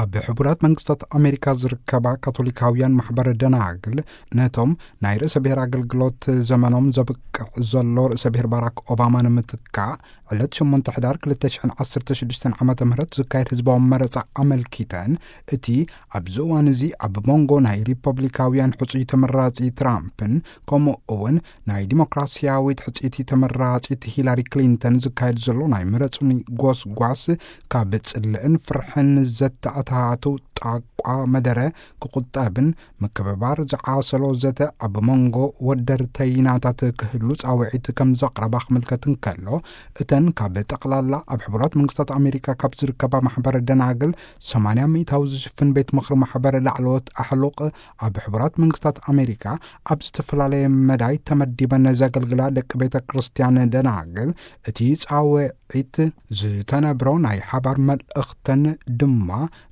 ኣብ ሕቡራት መንግስታት ኣሜሪካ ዝርከባ ካቶሊካውያን ማሕበር ደናግል፣ ነቶም ናይ ርእሰ ብሔር ኣገልግሎት ዘመኖም ዘብቅዕ ዘሎ ርእሰ ብሔር ባራክ ኦባማ ንምትካእ፣ ዕለት ሸሞንተ ሕዳር ክልተ ሽሕን ዓሰርተ ሽዱሽተን ዓመተ ምህረት ዝካየድ ህዝባዊ መረጻ ኣመልኪተን፣ እቲ ኣብዚ እዋን እዚ ኣብ መንጎ ናይ ሪፐብሊካውያን ሕጹይ ተመራጺ ትራምፕን፣ ከምኡ እውን ናይ ዲሞክራሲያዊት ሕጽይቲ ተመራጺት ሂላሪ ክሊንተን ዝካየድ ዘሎ ናይ ምረጹኒ ጎስጓስ፣ ካብ ጽልእን ፍርሕን ዘተኣታቱ ጣቋ መደረ ክቑጠብን፣ ምክብባር ዝዓሰሎ ዘተ ኣብ መንጎ ወደርተይናታት ክህሉ ጻውዒት ከም ዘቕረባ ክምልከት እንከሎ፣ እተን ካብ ጠቕላላ ኣብ ሕቡራት መንግስታት ኣሜሪካ ካብ ዝርከባ ማሕበረ ደናግል ሰማንያ ሚእታዊ ዝሽፍን ቤት ምኽሪ ማሕበረ ላዕለዎት ኣሕሉቕ፣ ኣብ ሕቡራት መንግስታት ኣሜሪካ ኣብ ዝተፈላለየ መዳይ ተመዲበን ዘገልግላ ደቂ ቤተ ክርስቲያን ደናግል፣ እቲ ጻውዒት ዝተነብሮ ናይ ሓባር መልእኽተን ድማ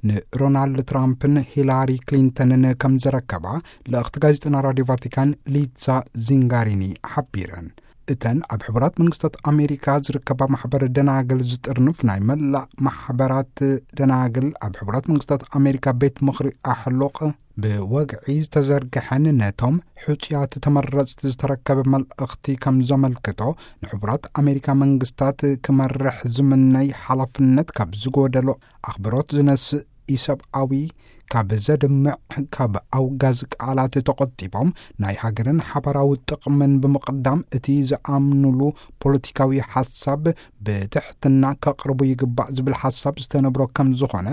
ንሮናልድ ትራምፕን ሂላሪ ክሊንተንን ከም ዘረከባ ልእኽቲ ጋዜጠና ራዲዮ ቫቲካን ሊዛ ዚንጋሪኒ ሓቢረን። እተን ኣብ ሕቡራት መንግስታት ኣሜሪካ ዝርከባ ማሕበር ደናግል ዝጥርንፍ ናይ መላእ ማሕበራት ደናግል ኣብ ሕቡራት መንግስታት ኣሜሪካ ቤት ምኽሪ ኣሕሉቕ ብወግዒ ዝተዘርግሐን ነቶም ሕጹያት ተመረጽቲ ዝተረከበ መልእኽቲ ከም ዘመልክቶ፣ ንሕቡራት ኣሜሪካ መንግስታት ክመርሕ ዝምነይ ሓላፍነት ካብ ዝጎደሎ ኣኽብሮት ዝነስእ ኢሰብኣዊ፣ ካብ ዘድምዕ፣ ካብ ኣውጋዝ ቃላት ተቖጢቦም ናይ ሃገርን ሓባራዊ ጥቕምን ብምቕዳም እቲ ዝኣምኑሉ ፖለቲካዊ ሓሳብ ብትሕትና ከቕርቡ ይግባእ ዝብል ሓሳብ ዝተነብሮ ከም ዝኾነ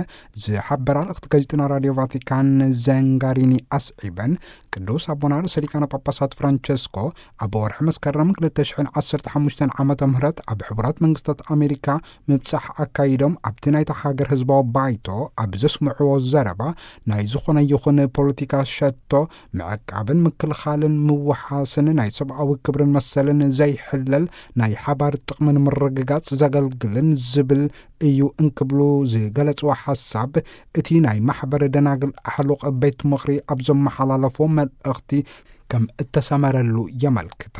ዝሓበራ ልእኽቲ ጋዜጠና ራዲዮ ቫቲካን ዘንጋሪኒ ኣስዒበን፣ ቅዱስ ኣቦና ርእሰ ሊቃነ ጳጳሳት ፍራንቸስኮ ኣብ ወርሒ መስከረም ክልተ ሽሕን ዓሰርተ ሓሙሽተን ዓመተ ምህረት ኣብ ሕቡራት መንግስታት ኣሜሪካ ምብጻሕ ኣካይዶም፣ ኣብቲ ናይታ ሃገር ህዝባዊ ባይቶ ኣብ ዘስምዕዎ ዘረባ፣ ናይ ዝኾነ ይኹን ፖለቲካ ሸቶ ምዕቃብን ምክልኻልን ምውሓስን ናይ ሰብኣዊ ክብርን መሰልን ዘይሕለል ናይ ሓባር ጥቕምን ምርግጋጽ ዘገልግልን ዝብል እዩ እንክብሉ ዝገለጽዎ ሓሳብ፣ እቲ ናይ ማሕበረ ደናግል ኣሕሉቕ ቤት ምኽሪ ኣብ ዘመሓላለፎ መልእኽቲ ከም እተሰመረሉ የመልክታ።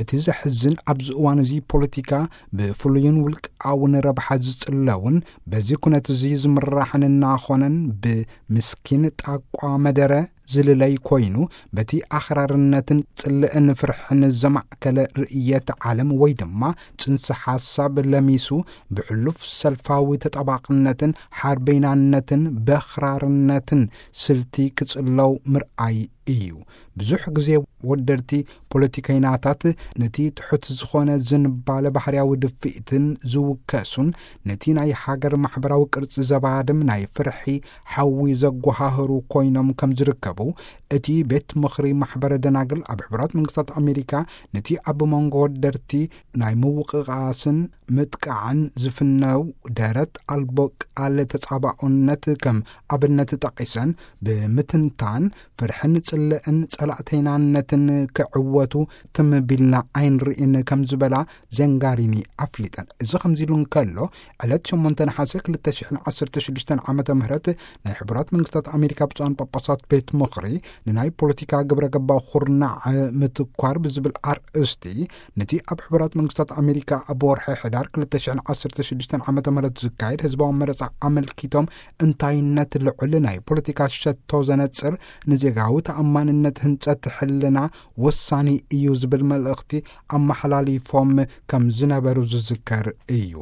እቲ ዘሕዝን፣ ኣብዚ እዋን እዚ ፖለቲካ ብፍሉይን ውልቃውን ረብሓ ዝጽለውን፣ በዚ ኩነት እዚ ዝምራሕን እናኾነን፣ ብምስኪን ጣቋ መደረ ዝልለይ ኮይኑ፣ በቲ ኣኽራርነትን ጽልእን ፍርሕን ዘማእከለ ርእየት ዓለም ወይ ድማ ጽንሰ ሓሳብ ለሚሱ፣ ብሕሉፍ ሰልፋዊ ተጠባቕነትን ሓርበይናነትን በኽራርነትን ስልቲ ክጽለው ምርኣይ እዩ። ብዙሕ ግዜ ወደርቲ ፖለቲከይናታት ነቲ ትሑት ዝኾነ ዝንባለ ባህርያዊ ድፍኢትን ዝውከሱን፣ ነቲ ናይ ሃገር ማሕበራዊ ቅርጺ ዘባድም ናይ ፍርሒ ሓዊ ዘጓሃህሩ ኮይኖም ከም ዝርከቡ፣ እቲ ቤት ምኽሪ ማሕበረ ደናግል ኣብ ሕቡራት መንግስታት ኣሜሪካ ነቲ ኣብ መንጎ ወደርቲ ናይ ምውቕቓስን ምጥቃዕን ዝፍነው ደረት ኣልቦ ቃል ተጻባኦነት ከም ኣብነት ጠቒሰን ብምትንታን፣ ፍርሕን ጽልእን ጸላእተይናነትን ክዕወቱ ትም ቢልና ኣይንርእን ከም ዝበላ ዘንጋሪኒ ኣፍሊጠን። እዚ ከምዚ ኢሉ እንከሎ፣ ዕለት ሸሞንተ ነሓሰ ክልተ ሽሕን ዓሰርተ ሽዱሽተን ዓመተ ምህረት ናይ ሕቡራት መንግስታት ኣሜሪካ ብፁዓን ጳጳሳት ቤት ምኽሪ ንናይ ፖለቲካ ግብረ ገባዊ ኩርናዕ ምትኳር ብዝብል ኣርእስቲ፣ ነቲ ኣብ ሕቡራት መንግስታት ኣሜሪካ ኣብ ወርሒ ሕዳር ክልተ ሽሕን ዓሰርተ ሽዱሽተን ዓመተ ምህረት ዝካየድ ህዝባዊ መረጻ ኣመልኪቶም፣ እንታይነት ልዑል ናይ ፖለቲካ ሸቶ ዘነጽር፣ ንዜጋዊ ተኣማንነት ህንጸት ሕልና ወሳኒ እዩ ዝብል መልእኽቲ ኣመሓላሊፎም ከም ዝነበሩ ዝዝከር እዩ።